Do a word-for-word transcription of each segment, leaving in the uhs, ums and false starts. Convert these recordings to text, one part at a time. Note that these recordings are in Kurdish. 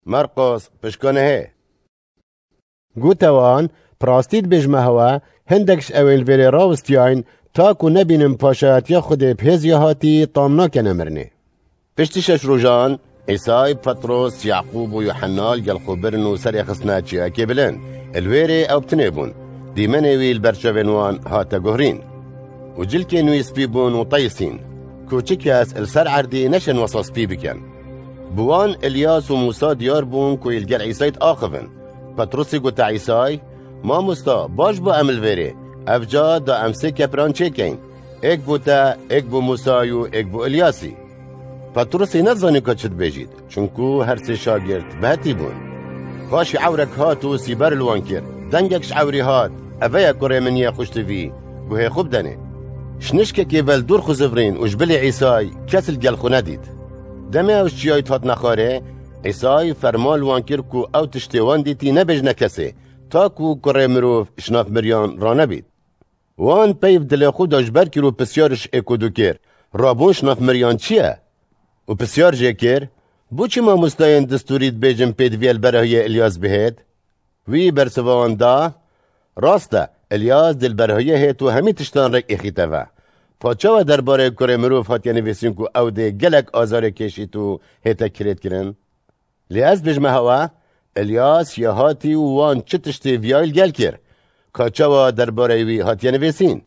Marqos pişkanehê. Gote wan, bi rastî dibêjime hewe, hindek ji ewên li vêrê rawistiyayîn, ta ku nebînin paşayetiya Xwedê bi hêz ya hatî tam nakene mirinê. Piştî şeş rojan, Îsay, Petros, Yaqûb û Yuhenna li gel xwe birin û serê xistine çiyayekê bilind. Li wêrê ew bi tinê bûn. Dîmenê wî li ber çavên wan hate guhrîn. Û cilkên wî spî bûn û teyisîn, ku çi kes li ser erdî neşên wesa spî bikin. Bi wan Îlyas û Mûsa diyar bûn ku yê li gel Îsay diaxivin. Petrusî gote Îsay, Mamosta, baş bû em li vêrê. Ev ca da em sê kepiran çêkeyin. Êk bo te, êk bo Mûsayî û êk bo Îlyasî. Petrusî nezanî ka çi dibêjît, çunku her sê şagird bi hetî bûn. Paşî ewrek hat û sîber li wan kir. Dengek ji ewrî hat, Eve ye kurê min yê xweştivî, guhê xwe bidenê. Ji nişkekê ve li dûr xwe zivirîn û ji bilî Îsay kes li gel xwe nedît. Demê ew ji çiyayî dihatine xwarê, Îsay ferman li wan kir ku ew tiştê wan dîtî nebêjine kesê, ta ku kurê mirov ji nav miriyan ranebît. Wan peyv dilê xwe de ji ber kir û pisyar ji êk û du kir, Rabûn ji nav miriyan çi ye? Û pisyar jê kir, Bo çi mamostayên distûrî dibêjin pêdiviya li berahiyê Îlyas bihêt? Wî bersiva wan da, Rast e, Îlyas dê li berahiyê hêt û hemî tiştan rêk êxîte ve. Pa çawa derbarê kurê mirov hatiye nivîsîn ku ew dê gelek azarê kêşît û hête kirêtkirin? Lê ez bêjime hewe, Îlyas ya hatî û wan çi tiştê viyayî li gel kir, ka çawa derbarê wî hatiye nivîsîn?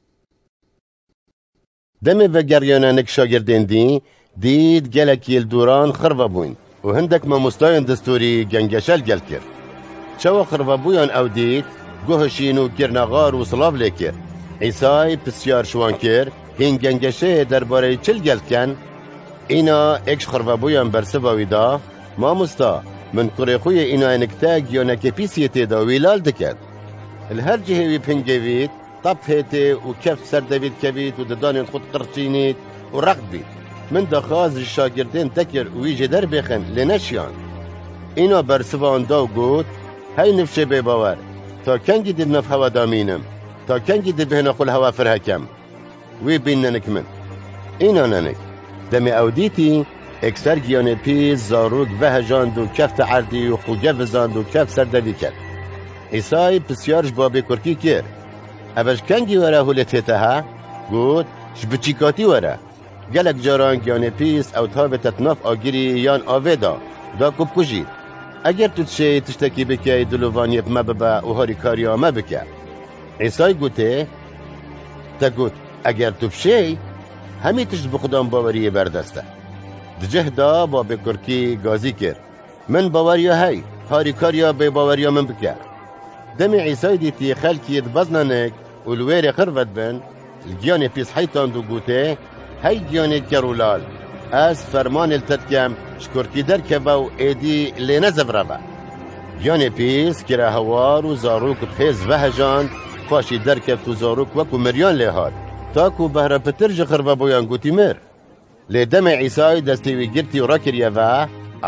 Demê vegeriyane nik şagirdên dî, dît gelekî li dûran xirve bûyn û hindek mamostayên distûrî gengeşe li gel kir. Çawa xirvebûyan ew dît, guh hişîn û kirine xar û silav lê kir. Îsay pisyar ji wan kir, Hîn gengeşeyê derbarê çi li gel dikin? Îna êk ji xirvebûyan bersiva wî da, Mamosta, min kurê xwe yê înayê nikte giyanekê pîs yê tê de wî lal diket. Li her cihê wî bi hingevît, tap hêtê û keft ser devî dikevît û didanên xwe diqirçînît û req dibît. Min daxwaz ji şagirdên te kir wî jê derbêxin, lê neşiyan. Îna bersiva wan da û got, Hey nifşê bêbawer, ta kengî dê di nav hewa de mînim? Ta kengî dê bêhna xwe li hewa fir hekem? Wî bînne nik min. Îna ne nik. Demê ew dîtî, êkser giyanê pîs, zarok vehejand û kefte erdî û xwe gevizand û keft ser devî ket. Îsay pisyar ji babê kurkî kir, Eve ji kengî were holê tê te he? Got, Ji biçîkatî were. Gelek caran giyanê pîs ew dihavête di nav agirî yan avê de, da ku bikujî. Eger tu dişêyî tiştekî bikey, dilovaniyê bi me bibe û harîkariya me bike. Îsay gotê, Te got, Eger tu bişêy, hemî tişt bi xudan baweriyê berdest e. Di cih de babê kurkî gazî kir, Min baweriya hey, harîkariya bêbaweriya min bike. Demê Îsay dîtî xelkî dibezne nik û li wêrê xirve dibin, li giyanê pîs heytand û gotê, Hey giyanê ker û lal, ez fermanê li te dikem, ji kurkî derkeve û êdî lê nezevire ve. Giyanê pîs kire hewar û zarok bi hêz vehejand, paşî derkeft û zarok wekû miriyan lê hat, ta ku behra pitir ji xirvebûyan gotî mir. Lê demê Îsay destê wî girtî û rakiriye ve,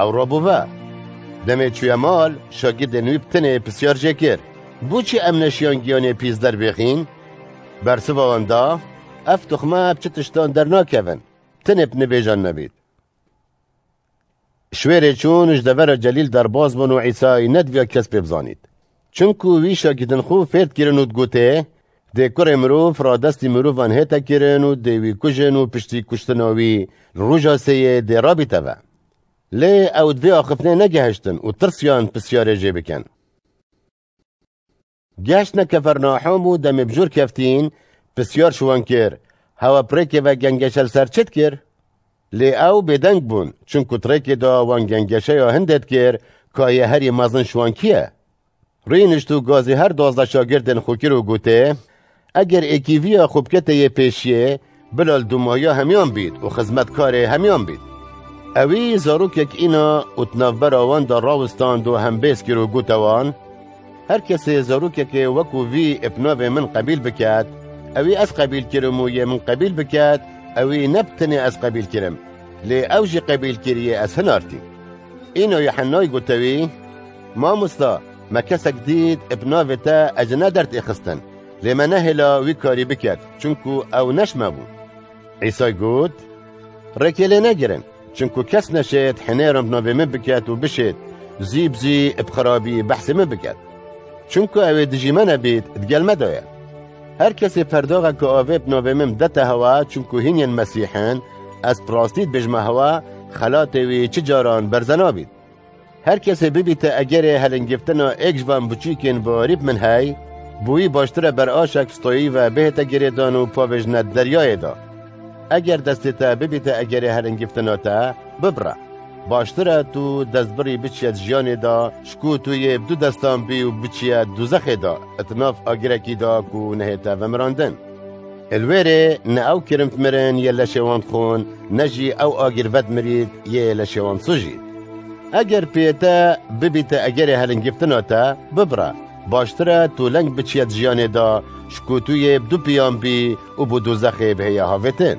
ew rabû ve. Demê çûye mal, şagirdên wî bi tinê pisyar jê kir, Bo çi em neşiyan giyanê pîs derbêxîn? Bersiva wan da, Ev tuxme bi çi tiştan dernakevin, tinê bi nivêjan nebît. Ji wêrê çûn ji devera Celîl derbas bûn û Îsay nediviya kes pê bizanît. Çimku wî şagirtin xwe fêr dikirin û digotê, Dê kurê mirov radestî mirovan hête kirin û dê wî kujin û piştî kuştina wî li roja sêyê dê rabîte ve. Lê ew di vê axiftinê negehiştin û tirsiyan pisyarê jê bikin. Geştine Kefernahûm û demê bi jor keftîn, pisyar ji wan kir, Hewe bi rêkê ve gengeşe li ser çi dikir? Lê ew bêdeng bûn, çimku di rêkê de wan gengeşeya hindê dikir, ka yê herî mezin ji wan kî ye? Rûnişt û gazî her duwazdeh şagirdên xwe kir û gotê, Eger êkîviya xwe bikete yê pêşiyê, bila li dûmahiya hemiyan bît û xizmetkarê hemiyan bît. Ewî zarokek îna û di navbera wan de rawistand û hembêz kir û gote wan, Her kesê zarokekê wekû vî bi navê min qebîl biket, ewî ez qebîl kirim û yê min qebîl biket, ewî ne bi tenê ez qebîl kirim, lê ew jî qebîl kir yê ez hinartîm. Îna Yuhennayî gote wî, Mamosta, me kesek dît bi navê te ecine derdêxistin, lê me nehêla wî karî biket, çimku ew ne ji me bû. Îsay got, Rêkê lê negirin, çimku kes neşêt hinêran bi navê min biket û bişêt, zî bi zî bi xirabî behsê min biket. Çunku ew ê dijî me nebît, di gel me de ye. Her kesê perdaxeke avê bi navê min bidete hewa, çunku hîn yên Mesîh in, ez bi rastî dibêjime hewa, xelatê wî çi caran berze nabît. Her kesê bibîte egerê helingiftina êk ji van biçûkên warî bi min hey, bo wî baştir e ber aşek stoyî ve bihête girêdan û pavêjine deryayê de. Eger destê te bibîte egerê helingiftina te, bibire. Baştir e tu destbirî biçiye di jiyanê de, ji ku tu yê bi du destan bî û biçiye dûzexê de, di nav agirekî de ku nehête vemirandin. Li wê rê ne ew kirin dimirin yê leşê wan dixwin, ne jî ew agir vedimirît yê leşê wan sujît. Eger pê te bibîte egerê helingiftina te, bibire. Baştir e tu leng biçiye di jiyanê de, ji ku tu yê bi du piyan bî û bo dûzexê bihêye havêtin.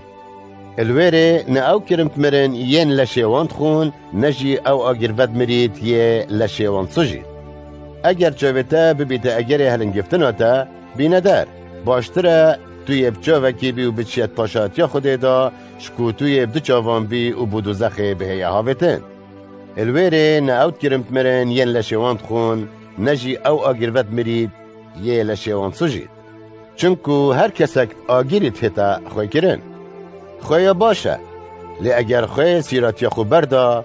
Li wê rê ne ew kirin dimirin yên leşê wan dixwin, ne jî ew agir vedimirît yê leşê wan sujît. Eger çavê te bibîte egerê helingiftina te, bîne der. Baştir e tu yê bi çavekî bî û biçiye di paşatiya Xwedê de, ji ku tu yê bi du çavan bî û bo dûzexê bihêye havêtin. Li wê rê ne ew kirin dimirin yên leşê wan dixwin, ne jî ew agir vedimirît yê leşê wan sujît. Çunku her kesek agirî dihête xwêkirin. Xwêya baş e, lê eger xwê sîratiya xwe berda,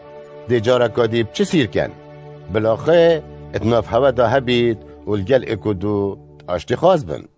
dê careka dî bi çi sîr ken? Bila xwê di nav hewe de hebît û li gel êk û du aştîxwaz bin.